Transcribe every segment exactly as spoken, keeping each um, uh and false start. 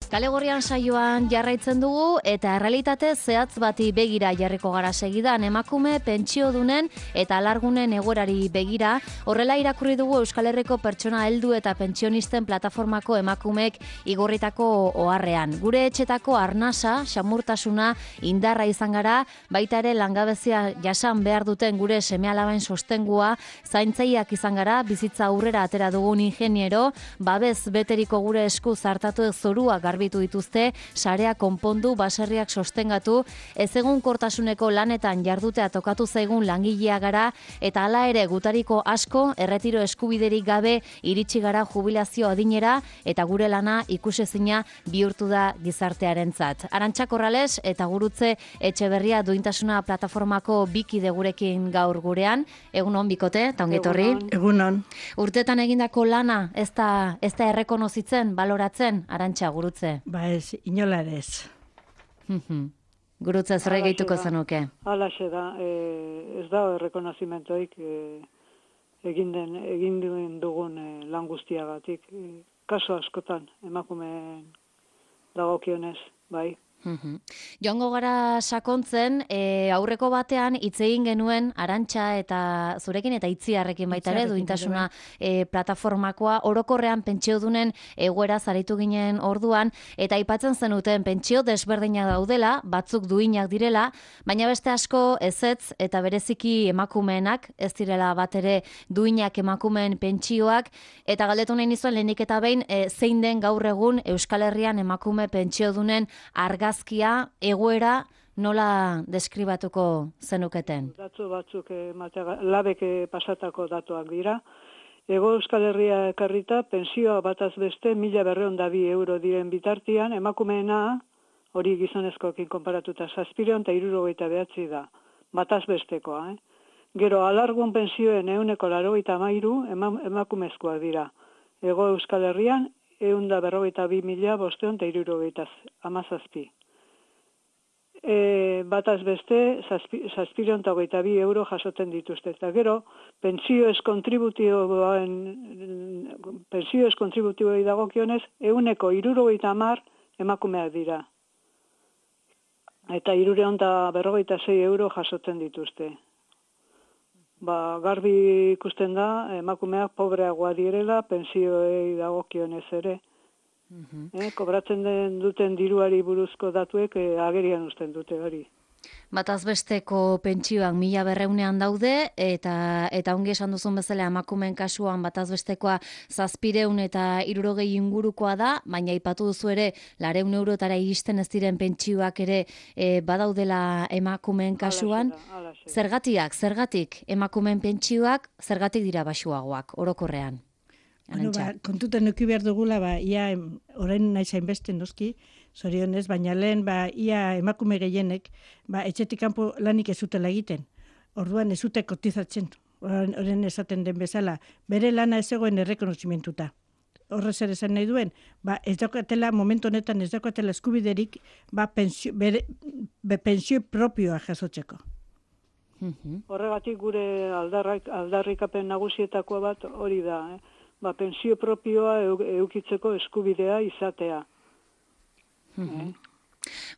Kale Gorrian saioan jarraitzen dugu eta errealitate zehatz bati begira jarriko gara segidan emakume pentsiodunen eta alargunen egoerari begira. Horrela irakurri dugu Euskal Herriko pertsona heldu eta pentsionisten plataformako emakumek igorritako oharrean. Gure etxetako arnasa, xamurtasuna, indarra izan gara, baita ere langabezia jasan behar duten gure seme-alaben sostengua, zaintzaileak izan gara, bizitza aurrera atera dugun ingeniero, babez beteriko gure esku zartatu zorua garbitu dituzte, sarea konpondu, baserriak sostengatu, ez egun kortasuneko lanetan jardutea tokatu zaigun langilea gara, eta hala ere gutariko asko, erretiro eskubiderik gabe iritsi gara jubilazio adinera, eta gure lana ikusezina bihurtu da gizartearentzat. Arantxa Korrales eta Gurutze Etxeberria Duintasuna plataformako bikide gurekin gaur gurean. Egunon bikote, eta ongetorri. Egunon. Urtetan egindako lana, ez da, ez da errekonozitzen, baloratzen, Arantxa, Gurutze? Ba ez, inola ere ez. Gurutze, zer gehituko zenuke? Halaxe da, e, ez da errekonozimentoik e, egin den, egin duen dugun e, lan guztiagatik. E, kaso askotan, emakumeen dagokionez, bai. Joango gara sakontzen, e, aurreko batean hitz egin genuen Arantxa eta zurekin eta Itziarrekin baita ere Duintasuna e, plataformakoa orokorrean pentsiodunen egoera zaritu ginen orduan, eta aipatzen zenuten pentsio desberdinak daudela, batzuk duinak direla, baina beste asko ezetz eta bereziki emakumeenak, ez direla bat ere duinak emakumeen pentsioak, eta galdetu nahi nizuen lehenik eta behin e, zein den gaur egun Euskal Herrian emakume pentsiodunen argazkia, egoera nola deskribatuko zenuketen? Datu batzuk eh, labek pasatako datuak dira. Ego Euskal Herria ekarrita, pensioa bataz beste mila berreun da bi euro diren bitartian, emakumeena, hori gizonezkoekin konparatuta, zazpireun eta hirurogeita behatzi da, bataz bestekoa. Eh? Gero, alargun pensioen euneko laurogeita hamairu emakumezkoak dira. Ego Euskal Herrian, eun da berrogeita bi mila bosteun eta hirurogeita hamazazpi. E, bataz beste, zazpireun eta hogeita bi euro jasoten dituzte. Eta gero, pentsio ez kontributioen, pentsio ez kontributioi dagokionez, euneko hirurogeita hamar emakumeak dira. Eta hirureun eta berrogeita sei euro jasoten dituzte. Ba, garbi ikusten da, emakumeak pobreagoa direla, pentsioei dagokionez ere. Eh, kobratzen den duten diruari buruzko datuek eh, agerian uzten dute hori. Bataz besteko pentsioak mila berreunean daude, eta eta ongi esan duzun bezala emakumeen kasuan bataz bestekoa zazpireun eta hirurogei ingurukoa da, baina aipatu duzu ere lareun eurotara iristen ez diren pentsioak ere e, badaudela emakumeen kasuan. Alaxe da, alaxe da. Zergatiak, zergatik emakumeen pentsioak zergatik dira baxuagoak orokorrean? Bueno, ba, kontutan nuki behar dugula, ba, ia orain nahi zain beste noski, zorionez, baina lehen ba, ia emakume gehienek ba, etxetik kanpo lanik ez zutela egiten. Orduan ez zute kotizatzen, orain esaten den bezala, bere lana ez egoen errekonozimentuta. Horrez ere esan nahi duen, ba, ez daukatela, momentu honetan ez daukatela eskubiderik ba, pensio, bere, be, pensio propioa jasotzeko. Horregatik gure aldarrak, aldarrikapen nagusietako bat hori da, eh? Ba, pensio propioa eukitzeko eskubidea izatea. Eh?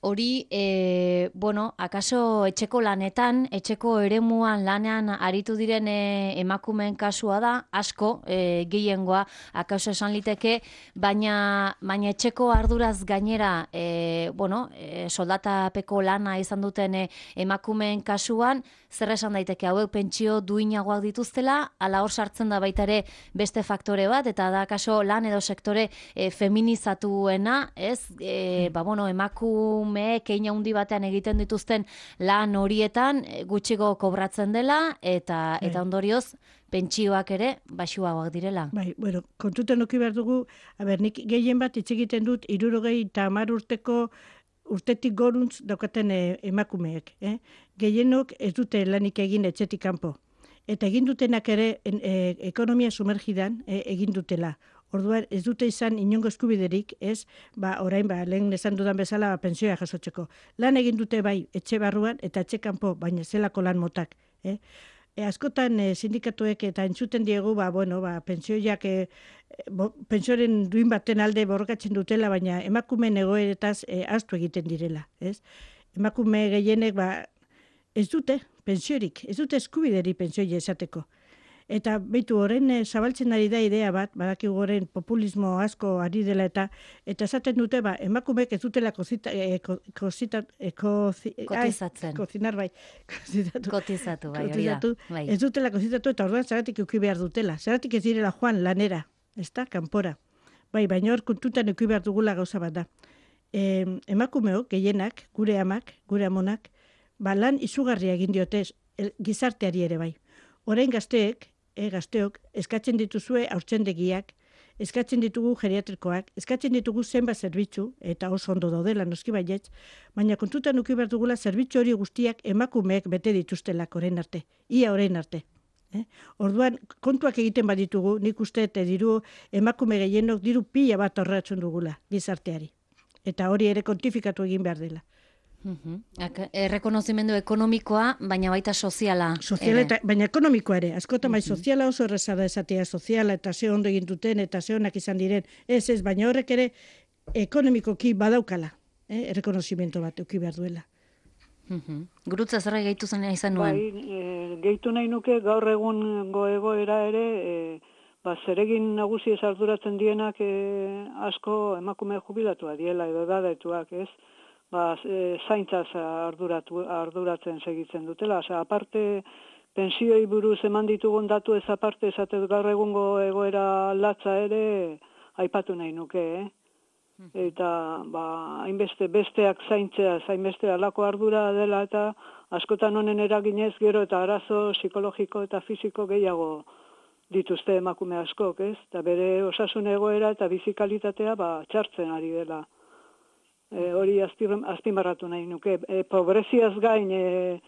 Hori, e, bueno, akaso etxeko lanetan, etxeko eremuan lanean aritu diren e, emakumeen kasua da, asko, e, gehiengoa, akaso esan liteke, baina, baina etxeko arduraz gainera, e, bueno, e, soldatapeko lana izan duten e, emakumeen kasuan, zer esan daiteke hauek pentsio duinagoak dituztela, ala hor sartzen da baita ere beste faktore bat, eta da akaso lan edo sektore e, feminizatuena, ez? E, ba, bueno, emakumeek hein handi batean egiten dituzten lan horietan gutxigo kobratzen dela, eta, eta ondorioz, pentsioak ere baxuagoak direla. Bai, bueno, kontutan nuki behar dugu, a ber, nik gehien bat hitz egiten dut, hirurogei eta hamar urteko urtetik goruntz daukaten e, emakumeek. Eh? Gehienok ez dute lanik egin etxetik kanpo. Eta egin dutenak ere en, e, ekonomia sumergidan e, egin dutela. Orduan ez dute izan inongo eskubiderik, ez, ba, orain, ba, lehen esan dudan bezala ba, pensioa jasotzeko. Lan egin dute bai etxe barruan eta etxe kanpo, baina zelako lan motak. Eh? E, askotan e, sindikatuek eta entzuten diegu, ba, bueno, ba, pentsioiak, e, bo, pentsioaren duin baten alde borrokatzen dutela, baina emakumeen egoeretaz e, ahaztu egiten direla, ez? Emakume gehienek, ba, ez dute pentsiorik, ez dute eskubideri pentsioi esateko. Eta beitu horren e, zabaltzen ari da idea bat, badakigu horren populismo asko ari dela eta eta esaten dute ba emakumeek ez dutela kozita, e, ko, kozita, e, kozi, kotizatzen. Ai, kozinar bai, kozitatu. Kotizatu bai, hori da. Kotizatu, Bai. ez dutela kozitatu eta orduan zeratik eduki behar dutela. Zeratik ez direla joan lanera, ezta, kanpora. Bai, baina hor kontutan eduki behar dugula gauza bat da. E, emakumeok, gehienak, gure amak, gure amonak, ba lan izugarria egin diote el, gizarteari ere bai. Orain gazteek, E, gazteok, eskatzen dituzue haurtzendegiak, eskatzen ditugu geriatrikoak, eskatzen ditugu zenbat zerbitzu, eta oso ondo daudela noski baietz, baina kontutan eduki behar dugula zerbitzu hori guztiak emakumeek bete dituztelak orain arte, ia orain arte. Eh? Orduan, kontuak egiten baditugu, nik uste eta diru emakume gehienok diru pila bat horretzen dugula gizarteari. Eta hori ere kontifikatu egin behar dela. Uh-huh. Errekonozimendu ekonomikoa, baina baita soziala. Soziala eta, baina ekonomikoa ere. Askotan bai soziala oso erreza da esatea soziala eta ze ondo egin duten eta ze onak izan diren. Ez ez, baina horrek ere ekonomikoki badaukala. Eh? Errekonozimendu bat euki behar duela. Uh-huh. Gurutza zerra gehitu zen izan nuen? Bai, e, gehitu nahi nuke gaur egun goegoera ere, e, ba, zeregin nagusi ez arduratzen dienak e, asko emakume jubilatua diela edo dadetuak, ez? Ba, e, zaintzaz arduratu, arduratzen segitzen dutela. Osea, aparte, pensioi buruz eman ditugun datu ez aparte, esatez gaur egungo egoera latza ere, aipatu nahi nuke, eh? Eta, ba, hainbeste besteak zaintzea, hainbeste alako ardura dela eta askotan honen eraginez gero eta arazo psikologiko eta fisiko gehiago dituzte emakume askok, ez? Eta bere osasun egoera eta bizikalitatea, ba, txartzen ari dela. E, hori azpimarratu nahi nuke. E, pobreziaz gain, e,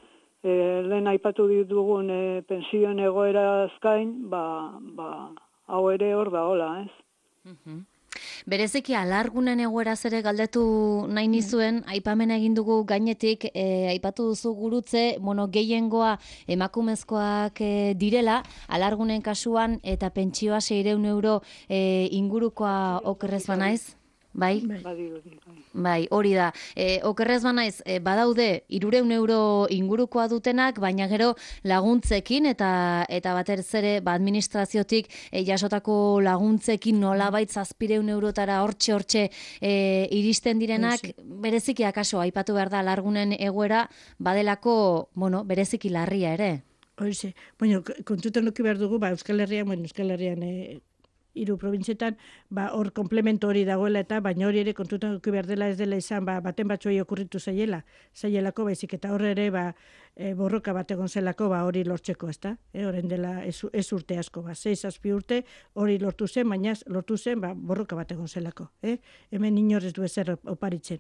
e, lehen aipatu ditugun e, pensioen egoeraz gain, ba, ba, hau ere hor da hola, ez? Uh-huh. Bereziki alargunen egoeraz ere galdetu nahi nizuen, aipamen egin dugu gainetik, e, aipatu duzu gurutze, bueno, gehiengoa emakumezkoak e, direla, alargunen kasuan eta pentsioa seiehun euro e, ingurukoa okerrez banaiz? Bai? Bai, bai, hori da. E, okerrez banaiz, e, badaude hirurehun euro ingurukoa dutenak, baina gero laguntzekin eta eta batez ere ba, administraziotik e, jasotako laguntzekin nolabait zazpiehun eurotara hortxe hortxe e, iristen direnak, sí. Bereziki akaso aipatu behar da largunen egoera badelako, bueno, bereziki larria ere. Horize. Bueno, kontutan eduki behar dugu, ba, Euskal Herrian, bueno, Euskal Herrian e, hiru probintzietan, ba, hor komplemento hori dagoela eta, baina hori ere kontutan eduki behar dela ez dela izan, ba, baten batzuei okurritu zaiela, zaielako baizik, eta hor ere, ba, e, borroka bat egon zelako, ba, hori lortzeko, ezta? E, horren dela ez, ez urte asko, ba, sei zazpi urte hori lortu zen, baina lortu zen, ba, borroka bat egon zelako, eh? Hemen inorez du ezer oparitzen.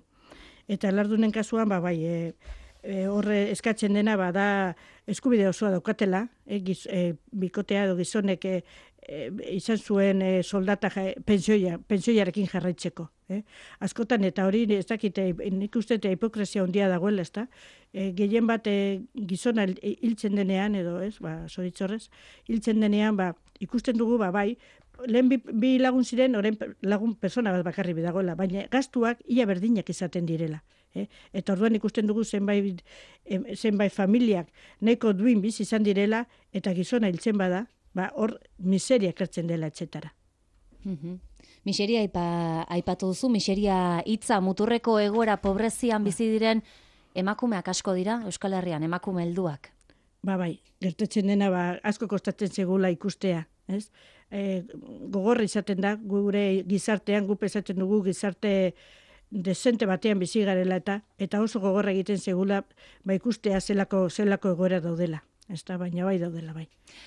Eta lardunen kasuan, ba, bai, e, E, horre eskatzen dena bada eskubide osoa daukatela, e, giz, e, bikotea edo gizonek e, e, izan zuen e, soldata ja, pensioia, pensioiarekin jarraitzeko. Eh? Askotan eta hori ez dakite, nik uste eta hipokresia handia dagoela, ezta? E, gehien bat e, gizona hiltzen denean edo, ez, ba, zoritzorrez, hiltzen denean, ba, ikusten dugu, ba, bai, lehen bi, bi lagun ziren, orain lagun persona bat bakarri dagoela, baina gastuak ia berdinak izaten direla. Eh? Eta orduan ikusten dugu zenbait, zenbait familiak nahiko duin bizi izan direla eta gizona hiltzen bada, ba, hor miseria kertzen dela etxetara. Uh-huh. Miseria aipa, aipatu duzu, miseria hitza muturreko egoera pobrezian bizi diren emakumeak asko dira Euskal Herrian, emakume helduak. Ba bai, gertatzen dena ba, asko kostatzen zegula ikustea, ez? E, gogorra izaten da, gure gizartean, gu pesatzen dugu gizarte desente batean bizi garela eta eta oso gogorra egiten segula ba ikustea zelako zelako egoera daudela. Ezta, baina bai daudela bai.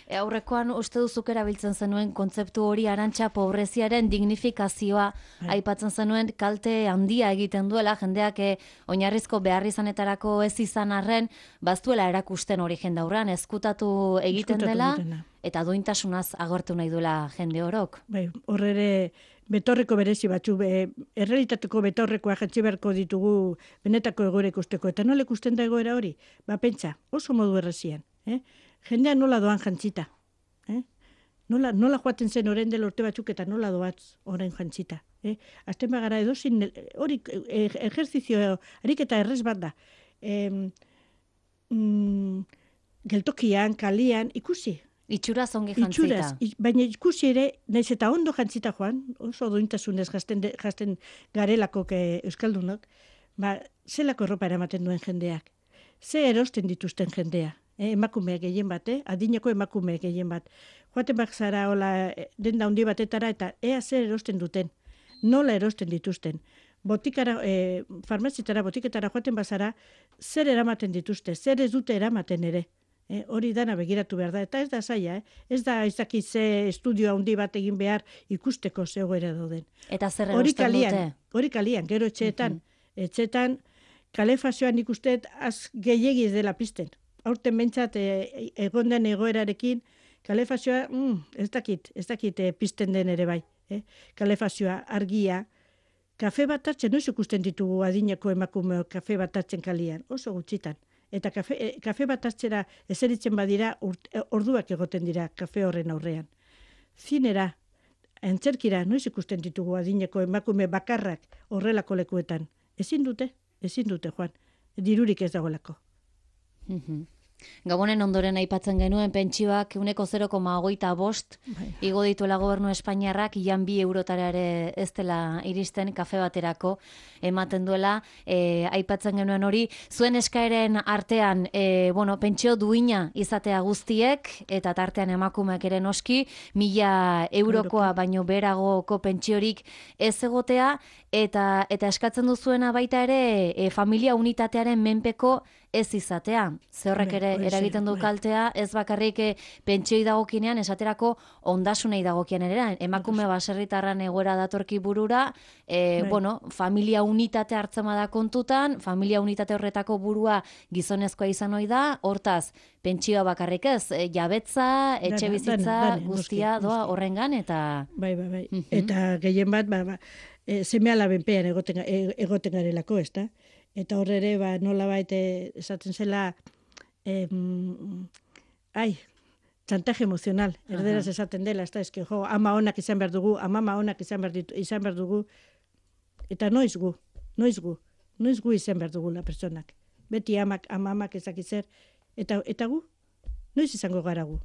E, aurrekoan uste duzuk erabiltzen zenuen kontzeptu hori Arantxa pobreziaren dignifikazioa bai. Aipatzen zenuen kalte handia egiten duela jendeak e, oinarrizko beharrizanetarako ez izan arren baztuela erakusten hori jendaurran ezkutatu egiten ezkutatu dela egitena. Eta duintasunaz agortu nahi duela jende orok. Bai, hor ere betorreko berezi batzu, be, errealitateko betorrekoa jantzi beharko ditugu benetako egoera ikusteko. Eta nola ikusten da egoera hori? Ba, pentsa, oso modu errezian. Eh? jendea nola doan jantzita. Eh? Nola, nola joaten zen orain dela urte batzuk eta nola doaz orain jantzita. Eh? Azten bagara edozin, hori e, ejerzizio, ariketa errez bat da. E, mm, geltokian, kalian, ikusi. Itxuraz ongi jantzita. Itxuraz, i- baina ikusi ere, naiz eta ondo jantzita joan, oso duintasunez jasten, de, jasten garelako ke euskaldunok, ba, zelako erropa eramaten duen jendeak. Ze erosten dituzten jendea. Eh, emakumeak gehien bat, eh? Adineko emakumeak gehien bat. Joaten bak zara hola, eh, denda handi batetara eta ea zer erosten duten. Nola erosten dituzten. Botikara, eh, farmazitara, botiketara joaten bazara, zer eramaten dituzte, zer ez dute eramaten ere. Eh, hori dana begiratu behar da, eta ez da zaila, eh? Ez da ez dakit ze estudio handi bat egin behar ikusteko ze egoera dauden. Eta zer Hori erosten kalian, dute? hori kalian, gero etxeetan, etxeetan kalefazioan ikustet az gehiegi ez dela pizten. Aurten bentsat e, egon den egoerarekin, kalefazioa, mm, ez dakit, ez dakit e, pizten den ere bai. Eh? Kalefazioa, argia, kafe bat hartzen, noiz ikusten ditugu adineko emakumeok kafe bat hartzen kalian, oso gutxitan. Eta kafe, e, kafe bat hartzera eseritzen badira, urt, e, orduak egoten dira kafe horren aurrean. Zinera, antzerkira, noiz ikusten ditugu adineko emakume bakarrak horrelako lekuetan. Ezin dute, ezin dute, Juan. Dirurik ez dagoelako. Mhm. Gabonen ondoren aipatzen genuen pentsioak uneko zero koma hogeita bost Bai. igo dituela gobernu Espainiarrak, ian bi eurotara ere ez dela iristen kafe baterako ematen duela, e, aipatzen genuen hori, zuen eskaeren artean, e, bueno, pentsio duina izatea guztiek, eta tartean emakumeak ere noski, mila eurokoa baino beragoko pentsiorik ez egotea, eta eta eskatzen duzuena baita ere e, familia unitatearen menpeko ez izatea. Ze horrek Bai, ere hori eragiten du bai. kaltea, ez bakarrik eh, pentsioi dagokinean, esaterako ondasunei dagokian ere, emakume baserritarran egoera datorki burura, e, Bai. bueno, familia unitate hartzen bada kontutan, familia unitate horretako burua gizonezkoa izan ohi da, hortaz, pentsioa bakarrik ez, e, jabetza, etxe Dana, bizitza, dana, dana, guztia noski, doa noski. horrengan, eta... Bai, bai, bai. Mhm. Eta gehien bat, ba, ba, e, seme alabenpean egoten, e, egoten garelako, ez da? Eta horre ere, ba, nola baita esaten zela, em, ai, txantaje emozional, erderaz esaten dela, ez da, eske, jo, ama honak izan behar dugu, amama honak izan behar, ditu, izan behar dugu, eta noiz gu, noiz gu, noiz gu izan behar dugula pertsonak. Beti amak, amamak ezak zer, eta, eta gu, noiz izango gara gu.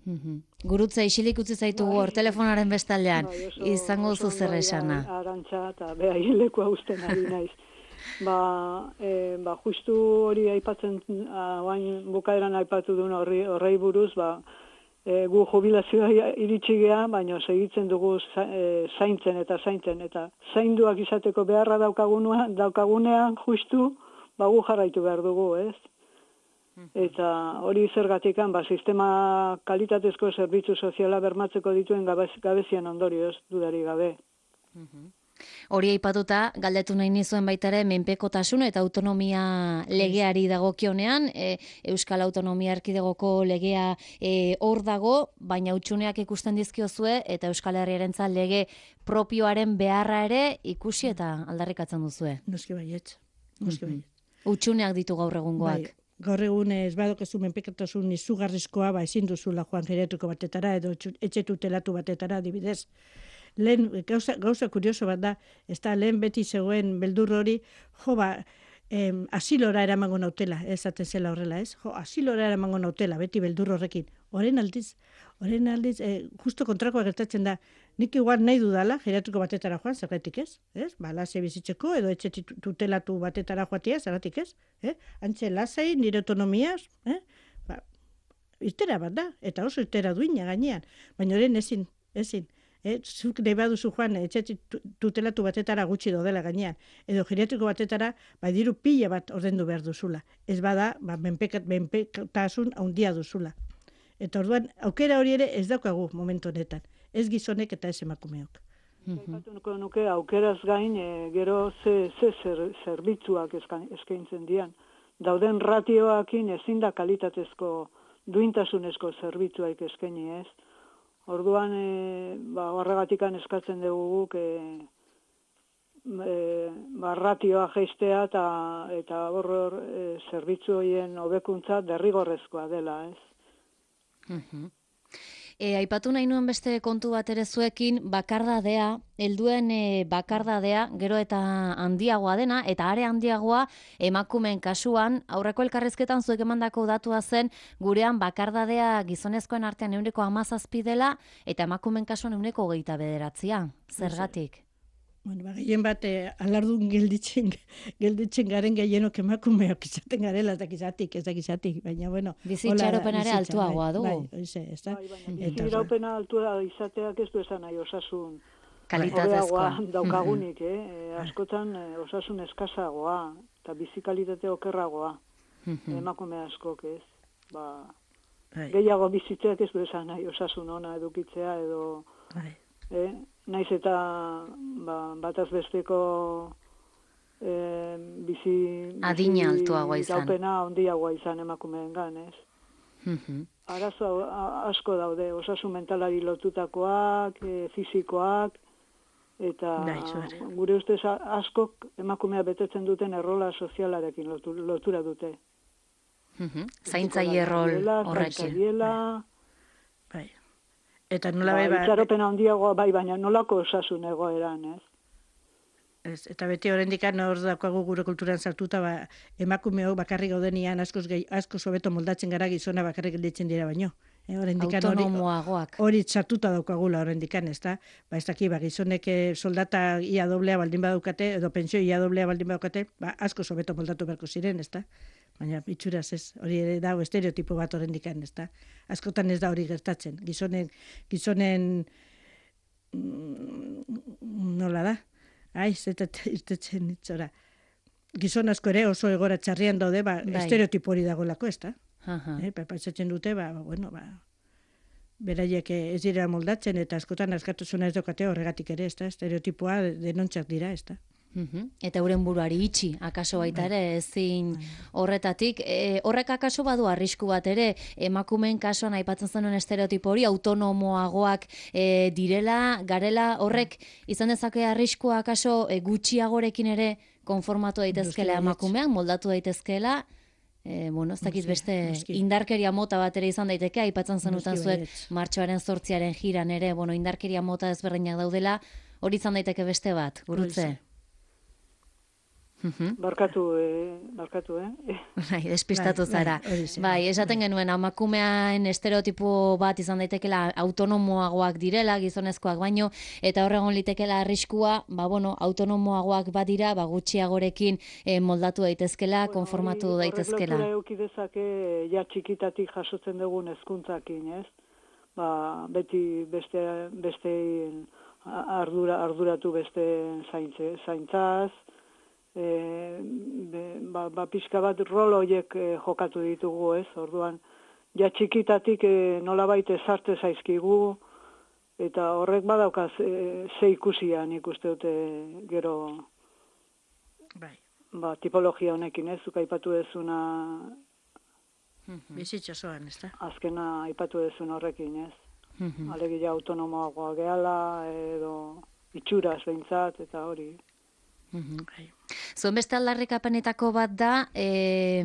Mhm. Gurutza isilik utzi zaitugu hor telefonaren bestaldean, Bai, oso- izango oso duzu zer ondo esana. dira Arantxa eta beha hilekua usten ari naiz. Ba, e, ba, justu hori aipatzen, oain bukaeran aipatu duen horri, horrei buruz, ba, e, gu jubilazioa iritsi gea, baina segitzen dugu za, e, zaintzen eta zaintzen, eta zainduak izateko beharra daukagunean, daukagunean justu, ba, gu jarraitu behar dugu, ez? Eta hori zergatikan, ba, sistema kalitatezko zerbitzu soziala bermatzeko dituen gabez, gabezian ondorioz, dudari gabe. Hori aipatuta, galdetu nahi nizuen baita ere, menpekotasun eta autonomia legeari dagokionean, e, Euskal Autonomia Erkidegoko legea e, hor dago, baina hutsuneak ikusten dizkiozue, eta Euskal Herriarentzat lege propioaren beharra ere ikusi eta aldarrikatzen duzue. Noski baietz, noski baietz. Hutsuneak ditu gaur egungoak. Bai, gaur egun ez badokezu menpekotasun izugarrizkoa, ba ezin duzula joan geriatriko batetara edo etxu- etxe tutelatu batetara adibidez. Lehen gauza, gauza kurioso bat da, ez da lehen beti zegoen beldur hori, jo ba, em, asilora eramango nautela, esaten zela horrela, ez? Jo, asilora eramango nautela, beti beldur horrekin. Orain aldiz, orain aldiz, eh, justo kontrakoa gertatzen da, nik igual nahi dudala, geriatriko batetara joan, zergatik ez? Ez? Ba, lasai bizitzeko, edo etxe titu- tutelatu batetara joatia, zergatik ez? Eh? Antxe lasai, nire autonomiaz, eh? Ba, irtera bat da, eta oso irtera duina gainean, baina orain ezin, ezin. Eh, zuk nahi baduzu joan etxe tu- tutelatu batetara gutxi dodela gainean, edo geriatriko batetara, ba, diru pila bat ordendu behar duzula. Ez bada, ba, menpekat, menpekatasun handia duzula. Eta orduan, aukera hori ere ez daukagu momentu honetan. Ez gizonek eta ez emakumeok. Aipatuko nuke aukeraz gain, e, gero ze, ze zer, zerbitzuak eska- eskaintzen dian. Dauden ratioakin ezin da kalitatezko duintasunezko zerbitzuak eskaini ez. Orduan, e, ba, horregatikan eskatzen dugu guk e, e, ba, ratioa jeistea eta eta hor hor e, zerbitzu horien hobekuntza derrigorrezkoa dela, ez? Mhm. E, aipatu nahi nuen beste kontu bat ere zuekin, bakardadea, helduen e, bakardadea, gero eta handiagoa dena, eta are handiagoa emakumeen kasuan, aurreko elkarrizketan zuek emandako datua zen, gurean bakardadea gizonezkoen artean ehuneko hamazazpi dela, eta emakumeen kasuan ehuneko hogeita bederatzia. Zergatik? Bueno, ba, gehien bat, eh, alardun gelditzen, gelditzen garen gehienok emakumeok izaten garela, ez dakizatik, ez dakizatik, baina, bueno. Bizitxaropenare altuagoa dugu. Bai, oize, ez da. Bai, baina biziraupena altua izateak ez du esan nahi osasun kalitatezkoa daukagunik, eh? E, askotan e, osasun eskazagoa, eta bizikalitate okerragoa, emakume askok, ez? Ba, gehiago bizitzeak ez du esan nahi osasun ona edukitzea edo... Eh? Naiz eta ba, bataz besteko eh, bizi... Adina altuagoa izan. Iraupena handiagoa izan emakumeengan, ez? Mhm. Arazo asko daude, osasun mentalari lotutakoak, e, fisikoak, eta gure ustez askok emakumea betetzen duten errola sozialarekin lotu, lotura dute. Mhm. Zaintzaile rol horrekin. Bai. Eta nola bai, ba, itxaropena handiagoa bai, baina nolako osasun egoeran, ez? Ez, eta beti oraindik hor daukagu gure kulturan sartuta, ba, emakumeok bakarrik gaudenian askoz gehi, askoz hobeto moldatzen gara gizona bakarrik gelditzen dira baino. E, autonomoagoak. Hori sartuta daukagula oraindik, ezta? Ba, ez daki, ba, gizonek soldata ia doblea baldin badaukate, edo pentsio ia doblea baldin badaukate, ba, askoz hobeto moldatu beharko ziren, ezta? Baina itxuraz ez, hori ere dago estereotipo bat oraindik, ezta? Askotan ez da hori gertatzen. Gizonen, gizonen nola da? Ai, zetet irtetzen itzora. Gizon asko ere oso egora txarrian daude, ba, bai. Estereotipo hori dagoelako, ezta? Eh, pentsatzen dute, ba, bueno, ba, beraiek ez dira moldatzen, eta askotan askatasuna ez daukate horregatik ere, ezta? Estereotipoa denontzak dira, ezta? Uhum. Eta euren buruari itxi, akaso baita ere, ezin horretatik. E, horrek akaso badu arrisku bat ere, emakumeen kasuan aipatzen zenuen estereotipo hori, autonomoagoak e, direla, garela, horrek izan dezake arriskua akaso e, gutxiagorekin ere konformatu daitezkela emakumeak, moldatu daitezkela, e, bueno, ez dakit beste indarkeria mota bat ere izan daiteke, aipatzen zenuten zuek martxoaren zortziaren jiran ere, bueno, indarkeria mota ezberdinak daudela, hori izan daiteke beste bat, gurutze? Barkatu, eh, barkatu, eh? Bai, despistatu zara. Bai, esaten genuen, emakumean estereotipo bat izan daitekela autonomoagoak direla, gizonezkoak baino, eta horregon litekela arriskua, ba, bueno, autonomoagoak badira, ba, gutxiagorekin eh, moldatu daitezkela, bueno, konformatu hori, daitezkela. Horrek lotura eukidezake, ja txikitatik jasotzen dugun hezkuntzakin, ez? Ba, beti beste, beste ardura, arduratu beste zaintze, zaintzaz, E, be, ba, ba, pixka bat rol horiek e, jokatu ditugu, ez? Orduan, ja txikitatik e, nolabait ezarte zaizkigu, eta horrek badaukaz e, ze ikusian ikuste dute gero bai. Ba, tipologia honekin, ez? Zuk aipatu dezuna bizitza zoan, ez da? Azkena aipatu dezun horrekin, ez? Alegia autonomoagoa gehala, edo itxuraz behintzat, eta hori. Zuen beste aldarrikapenetako bat da, e,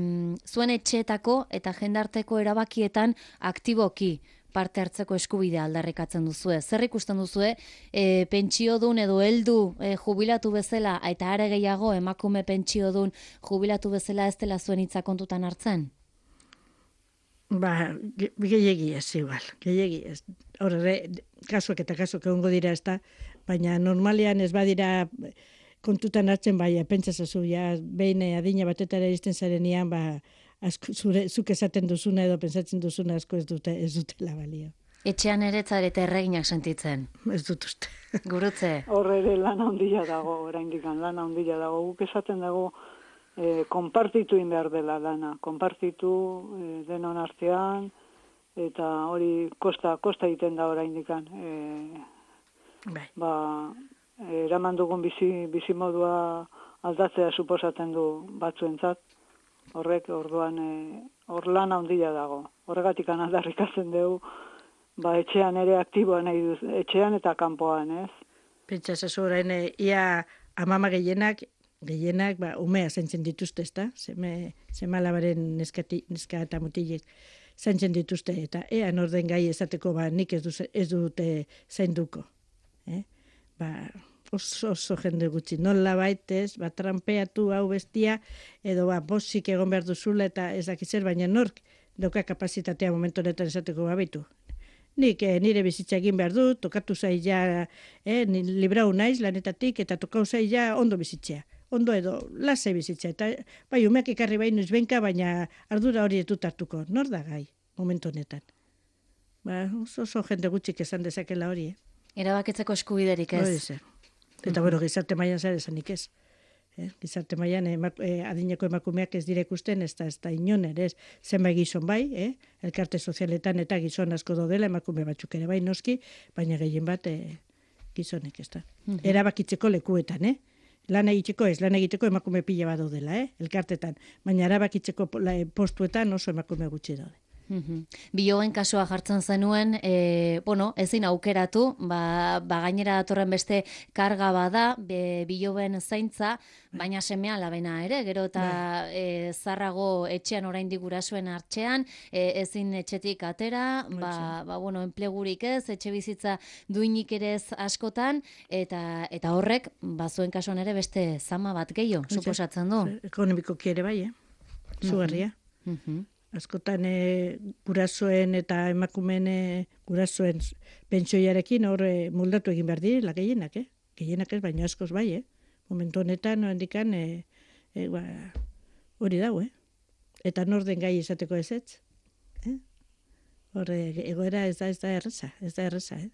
zuen etxeetako eta jendarteko erabakietan aktiboki parte hartzeko eskubidea aldarrikatzen duzue. Zer ikusten duzue, e, pentsiodun edo heldu e, jubilatu bezala, eta are gehiago emakume pentsiodun jubilatu bezala ez dela zuen hitza kontutan hartzen? Ba, gehiegi ez, igual, gehiegi ez. Horre, kasuak eta kasuak egongo dira ez da, baina normalian ez badira kontutan hartzen, bai, pentsazazu, ja, behin adina batetara izten zarenean, ba, asko, zure, zuk esaten duzuna edo pentsatzen duzuna asko ez dute, ez dutela balio. Etxean ere zarete erreginak sentitzen. Ez dut uste. Gurutze. Horre ere lan handia dago, oraindik lan handia dago. Guk esaten dago, eh, konpartitu in behar dela lana. Konpartitu eh, denon artean, eta hori kosta, kosta egiten da oraindik. Eh, bai. Ba, eraman dugun bizi, bizi modua aldatzea suposatzen du batzuentzat. Horrek, orduan, hor e, lan handia dago. Horregatik aldarrikatzen dugu, ba, etxean ere aktiboa nahi duz, etxean eta kanpoan, ez? Pentsa zazu orain, e, ia amama gehienak, gehienak, ba, umea zaintzen dituzte, ezta? Seme, seme alabaren neskati, neska eta mutilek zaintzen dituzte, eta ea norden gai esateko, ba, nik ez, du, ez dute zainduko. Eh? Ba, oso, oso jende gutxi, nola baitez, ba, trampeatu hau bestia, edo ba, bosik egon behar duzula, eta ez dakitzer, baina nork dauka kapazitatea momentu honetan esateko babitu. Nik eh, nire bizitza egin behar du, tokatu zaila, eh, librau naiz lanetatik, eta tokau zaila ondo bizitzea. Ondo edo, lasai bizitzea. Eta, bai, umeak ekarri bai nuiz benka, baina ardura hori etut hartuko. Nor da gai, momentu honetan. Ba, oso, oso jende gutxik esan dezakela hori, eh? Erabakitzeko eskubiderik ez. Hori zer. Eta, bueno, gizarte mailan zer esanik ez. Eh? Gizarte mailan emak, eh, adineko emakumeak ez dire ikusten, ez da, ez da inon ere, ez zenbait gizon bai, eh? Elkarte sozialetan eta gizon asko daudela, emakume batzuk ere bai noski, baina gehien bat eh, gizonek, ez da. Mm-hmm. Erabakitzeko lekuetan, eh? Lan egiteko ez, lan egiteko emakume pila bat daudela, eh? Elkartetan, baina erabakitzeko postuetan oso emakume gutxi daude. Mm-hmm. Biloben kasua jartzen zenuen, e, bueno, ezin aukeratu, ba, ba gainera datorren beste karga bada, be, biloben zaintza, baina semea labena ere, gero eta e, zarrago etxean oraindik gurasoen hartxean, e, ezin etxetik atera, ba, ba, bueno, enplegurik ez, etxe bizitza duinik ere ez askotan, eta, eta horrek, ba, zuen kasuan ere beste zama bat gehiago, suposatzen du. Ekonomikoki ere bai, eh? Zugarria. Mm-hmm. Askotan e, gurasoen eta emakumeen e, gurasoen pentsioiarekin hor e, moldatu egin behar direla gehienak, eh? Gehienak ez, baina askoz bai, eh? Momentu honetan, handikan, e, e, ba, hori dau, eh? Eta norden gai izateko ez ez, eh? Horre, egoera ez da, ez da erreza, ez da erreza, eh?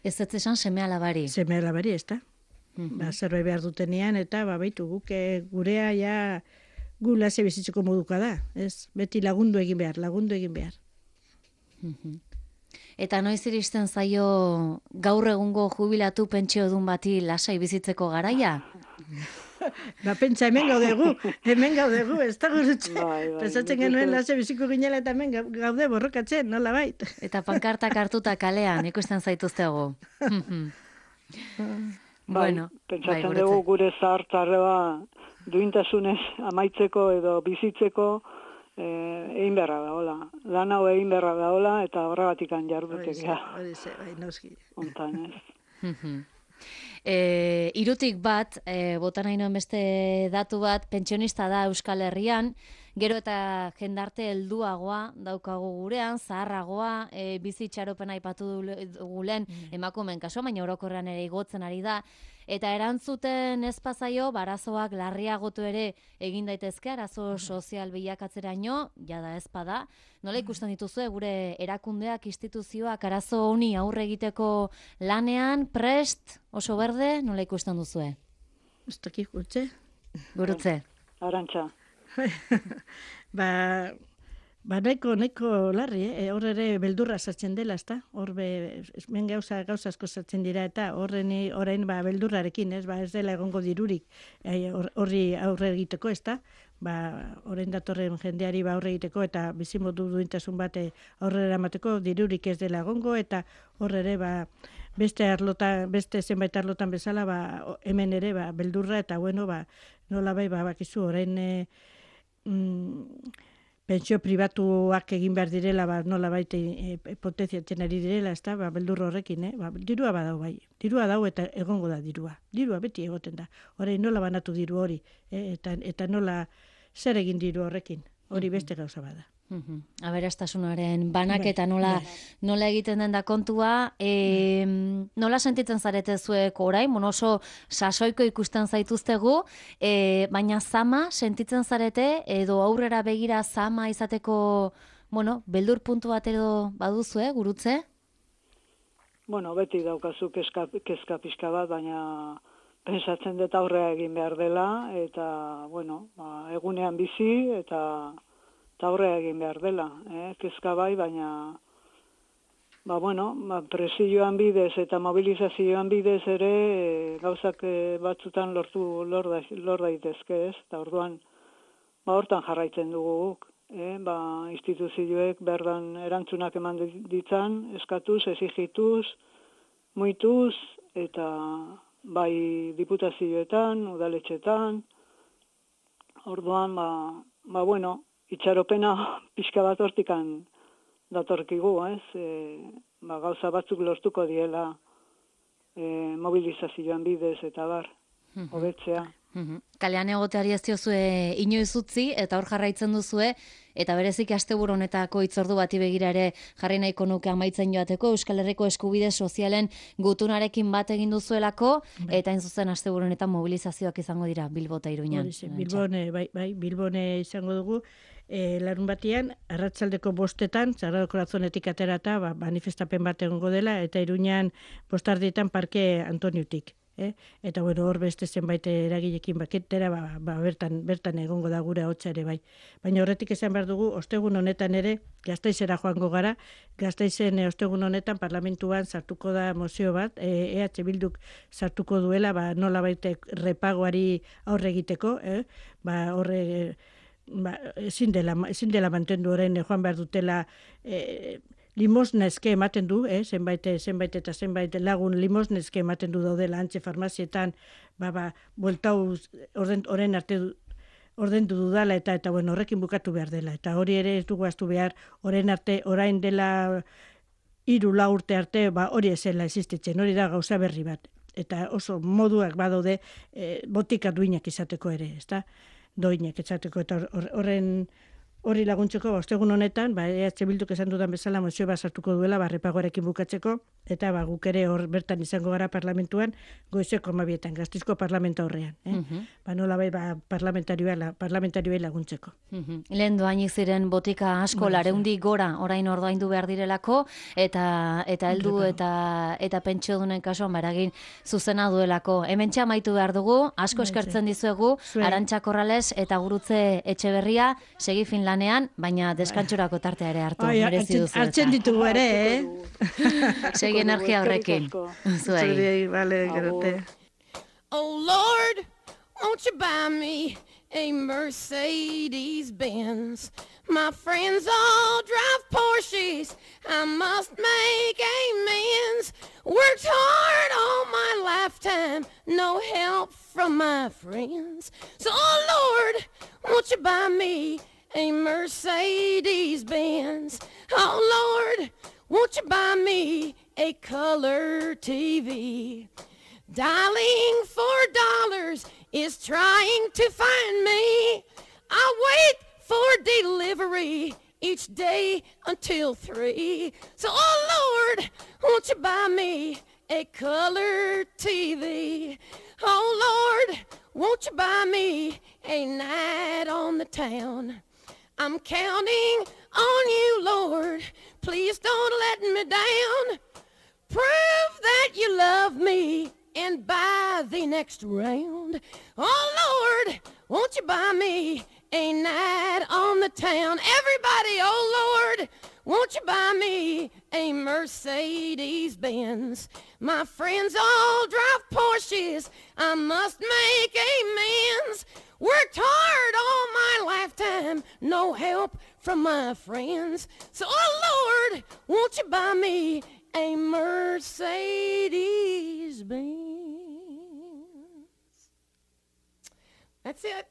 Ez ez esan seme alabari. Seme alabari, ez da. Mm-hmm. Ba, zerbait behar dutenean, eta ba, baitu guk e, gurea ja gu lase bizitzeko moduka da, ez? Beti lagundu egin behar, lagundu egin behar. Mm-hmm. Eta noiz iristen zaio gaur egungo jubilatu pentsiodun bati lasai bizitzeko garaia? Ba, pentsa, hemen gaudegu, hemen gaudegu, ez da gurutxe. Bai, bai, Pensatzen genuen lase biziko ginela eta hemen gaude borrokatzen, nola bait. Eta pankartak hartuta kalean, ikusten zaituztegu. Bueno, pentsatzen bai, dugu gure zahartzarreba duintasunez amaitzeko edo bizitzeko eh, egin beharra da, hola. Lan hau egin beharra da, hola, eta horregatikan jardutekea. Hori ze, bai, noski. Ontan, ez. E, irutik bat, e, bota nahi noen beste datu bat, pentsionista da Euskal Herrian, gero eta jendarte helduagoa daukagu gurean, zaharragoa, e, bizi itxaropena aipatu dugu lehen emakumeen kasua, baina orokorrean ere igotzen ari da. Eta erantzuten ez pazaio, barazoak larriagotu ere egin daitezke, arazo sozial bilakatzeraino, jada ez bada. Nola ikusten dituzue gure erakundeak, instituzioak, arazo honi aurre egiteko lanean, prest, oso berde, nola ikusten duzue? Ez dakik, gutxe? Gurutze. Arantxa. ba, ba neko, neko larri, eh? Hor ere beldurra sartzen dela, ezta? Hor be, men gauza, gauza asko sartzen dira, eta horreni orain ba, beldurrarekin, ez? Ba, ez dela egongo dirurik horri aurre egiteko, ezta? Ba, orain datorren jendeari ba aurre egiteko eta bizimodu duintasun bate aurrera emateko dirurik ez dela egongo, eta hor ere ba, beste arlotan, beste zenbait arlotan bezala, ba, hemen ere ba, beldurra, eta bueno, ba, nola bai, ba, bakizu, orain e, mm, pentsio pribatuak egin behar direla, ba, nola baita e, potenziatzen ari direla, ez da, ba, beldur horrekin, eh? Ba, dirua badau bai, dirua dau eta egongo da dirua, dirua beti egoten da, orain nola banatu diru hori, eh? eta, eta nola zer egin diru horrekin, hori beste gauza bada. Uh-huh. Aberastasunaren banaketa nola, nola egiten den da kontua, e, nola sentitzen zarete zuek orain, bueno, oso sasoiko ikusten zaituztegu, e, baina zama sentitzen zarete, edo aurrera begira zama izateko, bueno, beldur puntu bat edo baduzue, gurutze? Bueno, beti daukazu kezka, kezka pixka bat, baina pensatzen dut aurrea egin behar dela, eta, bueno, ba, egunean bizi, eta, eta aurrea egin behar dela. Eh? Kezka bai, baina, ba, bueno, ba, presioan bidez eta mobilizazioan bidez ere e, gauzak e, batzutan lortu lor, da, lor daitezke, ez? Eta orduan, ba, hortan jarraitzen dugu guk. Eh? Ba, instituzioek berdan erantzunak eman ditzan, eskatuz, exigituz, muituz, eta bai diputazioetan, udaletxetan, orduan, ba, ba bueno, itxaropena pixka bat hortikan datorkigu, ez? E, ba, gauza batzuk lortuko diela e, mobilizazioan bidez eta bar, hobetzea. Kalean egoteari ez diozue inoiz utzi, eta hor jarraitzen duzue, eta berezik asteburu honetako hitzordu bati begira ere jarri nahiko nuke amaitzen joateko, Euskal Herriko eskubide sozialen gutunarekin bat egin duzuelako, eta hain zuzen asteburu honetan mobilizazioak izango dira Bilbo eta Iruñan. Bilbone, bai, bai, Bilbone izango dugu, e, larun batian, arratsaldeko bostetan, Sagrado Corazonetik aterata, ba, manifestapen bat egongo dela, eta Iruñan bostardietan Parke Antoniutik. Eh? Eta bueno, hor beste zenbait eragilekin baketera, ba, ba, bertan, bertan egongo da gure ahotsa ere bai. Baina horretik esan behar dugu, ostegun honetan ere, Gasteizera joango gara, Gasteizen e, ostegun honetan parlamentuan sartuko da mozio bat, e, EH Bilduk sartuko duela, ba, nola baite repagoari aurre egiteko, eh? Ba, horre, ba, ezin dela, ezin dela mantendu orain joan behar dutela, e, limosneske ematen du, eh? zenbait, zenbait eta zenbait lagun limosneske ematen du daudela antxe farmazietan, ba, ba, bueltau horren arte ordendu dudala eta eta bueno, horrekin bukatu behar dela. Eta hori ere ez dugu astu behar, orain arte, orain dela hiru lau urte arte, ba, hori ezela existitzen, hori da gauza berri bat. Eta oso moduak badaude e, botika duinak izateko ere, ezta? Doinak izateko, eta horren hori laguntzeko, ba, ostegun honetan, ba, E H Bilduk esan dudan bezala mozio bat sartuko duela, ba, repagoarekin bukatzeko, eta ba, guk ere hor bertan izango gara parlamentuan, goizeko amabietan, Gasteizko parlamenta horrean. Eh? Uh-huh. Ba, nola bai, ba, parlamentarioa, la, parlamentarioa laguntzeko. Uh-huh. Lehen doainik ziren botika asko, ba, lareundi gora, orain ordaindu behar direlako, eta eta heldu eta eta pentsio dunen kasuan baragin zuzena duelako. Hemen txamaitu behar dugu, asko eskertzen dizuegu, Arantxa Corrales eta Gurutze Etxeberria, segi fin lanean, baina deskantxurako tartea ere hartu. Ai, hartzen, hartzen ditugu ere, eh? Segi energia horrekin. Zuei. Vale, gerate. Oh Lord, won't you buy me a Mercedes Benz? My friends all drive Porsches, I must make amends. Worked hard all my lifetime, no help from my friends. So oh Lord, won't you buy me a Mercedes Benz? Oh Lord, won't you buy me a color T V? Dialing for dollars is trying to find me. I wait for delivery each day until three. So oh Lord, won't you buy me a color T V? Oh Lord, won't you buy me a night on the town? I'm counting on you, Lord, please don't let me down. Prove that you love me and buy the next round. Oh Lord, won't you buy me a night on the town? Everybody, oh Lord, won't you buy me a Mercedes Benz? My friends all drive Porsches, I must make amends. Worked hard all my lifetime, no help from my friends. So, oh Lord, won't you buy me a Mercedes Benz? That's it.